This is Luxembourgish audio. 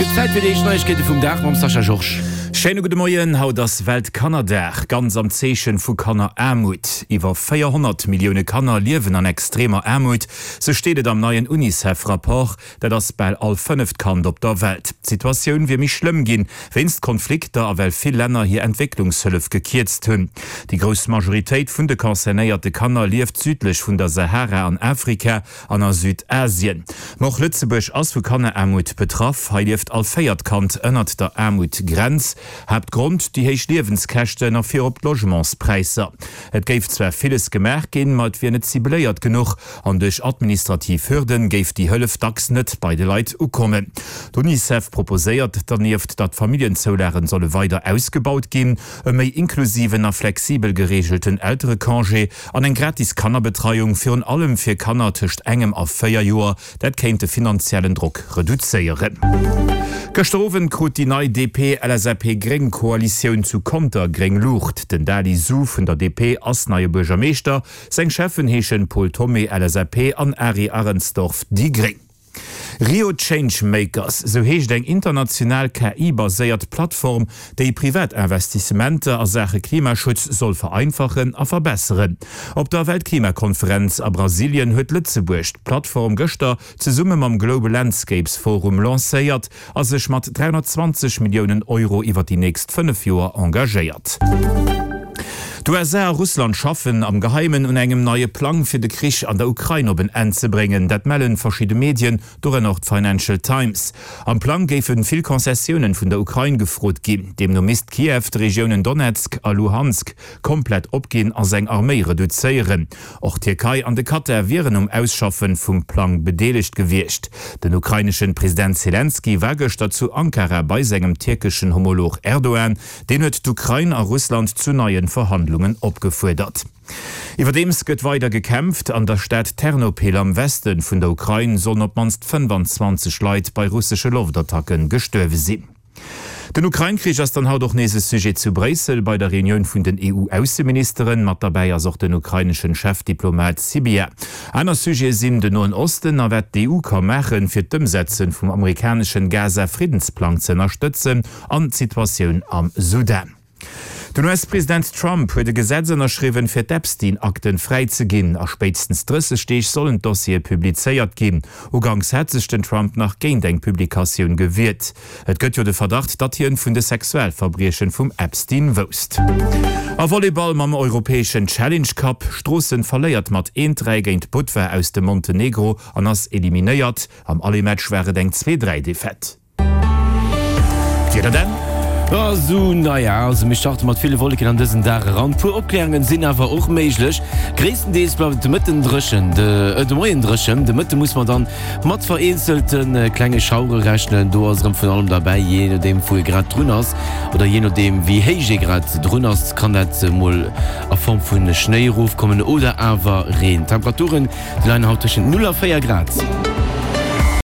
gëtt Zäit fir déi éischt Neiegkeete vum Dag mam Sascha Georges. Schéine gudde Moien, Haut ass Weltkannerdag, ganz am Zeechen vu Kanneraarmut. Iwwer 400 Millioune Kanner liewen an extremer Aarmut, sou steet et am neien Unicef-Rapport. Dat ass bal all fënneft Kand op der Welt. D'Situatioun wier méi schlëmm ginn, wéinst Konflikter a well vill Länner hir Entwécklungshëllef gekierzt hunn. Déi grouss Majoritéit vun de concernéierte Kanner lieft südlech vun der Sahara an Afrika an a Südasien. Ma och Lëtzebuerg ass vu Kanneraarmut betraff. Hei lieft all véiert Kand ënnert der Aarmutgrenz. Haaptgrond, déi héich Liewenskäschten a virop d'Logementspräisser. Et géif zwar villes gemaach ginn, ma et wier net cibléiert genuch an duerch administrativ Hürden géif déi Hëllef dacks net bei de Leit ukommen. D'Unicef proposéiert dernieft, datt d'Familljenzoulagen solle weider ausgebaut ginn, e méi inklusiven a flexibel gereegelten Elterecongé an eng gratis Kannerbetreiung, virun allem fir Kanner tëscht engem a 4 Joer. Dat kéint de finanziellen Drock reduzéieren. Gëschter Owend krut déi nei DP-LSAP-Gréng Koalitioun zu Conter gréng Luucht. Den Dali Su vun der DP ass neie Buergermeeschter. Seng Cheffen heeschen Paul Thomé, LSAP, an Ari Arensdorf, déi gréng. Rio Changemakers, sou heescht eng international KI-baséiert Plattform, déi privat Investissementer a Saache Klimaschutz soll vereinfachen a verbesseren. Op der Weltklimakonferenz a Brasilien huet Lëtzebuerg d'Plattform gëschter zesumme mam Global Landscapes Forum lancéiert a sech mat 320 Milliounen Euro iwwer déi nächst 5 Joer engagéiert. D'USA a Russland schaffen am Geheimen un engem neie Plang fir de Krich an der Ukrain op en Enn ze bréngen. Dat mellen verschidde Medien, dorënner och d'Financial Times. Am Plang géife vill Concessiounen vun der Ukrain gefrot ginn. Deemno misst Kiew d'Regiounen Donezk a Luhansk komplett opginn a seng Arméi reduzéieren. Och d'Tierkei an de Katar wieren um Ausschaffen vum Plang bedeelegt gewiescht. Den ukraineschen President Selenskyj war gëschter zu Ankara bei sengem tierkeschen Homolog Erdogan. Deen huet d'Ukrain a Russland zu neie Verhandlungen opgefuerdert. Iwwerdeems gëtt weider gekämpft. An der Stad Ternopil am Weste vun der Ukrain sollen op d'mannst 25 Leit bei russesche Loftattacke gestuerwe sinn. Den Ukrain-Krich ass dann haut och nees e Sujet zu Bréissel bei der Reunioun vun den EU-Ausseministeren. Mat derbäi ass och den ukraineschen Chefdiplomat Sybiha. Aner Sujete sinn den Noen Osten a wat d'EU ka maachen, fir d'Ëmsetzen vum amerikaneschen Gaza-Friddensplang ze ënnerstëtzen an d'Situatioun am Sudan. Den US-President Trump huet e Gesetz ënnerschriwwen, fir d'Epstein-Akten fräi ze ginn. A spéitstens 30 Deeg sollen d'Dossiere publizéiert ginn. Uganks hat sech den Trump nach géint eng Publikatioun gewiert. Et gëtt jo de Verdacht, datt hien vun de Sexualverbriechen vum Epstein wousst. A Volleyball mam europäeschen Challenge Cup, Stroossen verléiert mat 1, 3 géint Budva aus dem Montenegro an ass eliminéiert. Am Aller-Match war et eng 2, 3 Defaite. D'Wieder dann? Sou, naja, also mir starte mat ville Wolleken an dësen Dag eran. Puer Opkläerungen sinn awer och méiglech. Gréisstendeels bleift et de Mëtten dréchen, de Moien dréchen. De Mëtte muss mer dann mat vereenzelte klenge Schauere rechnen. Do ass erëm vun allem derbäi, jee nodeem wou ee grad drun ass oder jee nodeem wéi héich ee grad drun ass, kann dat mol a Form vu Schnéi erofkommen oder awer Reen. D'Temperaturen Déi leien haut tëschent 0 a 4 Grad.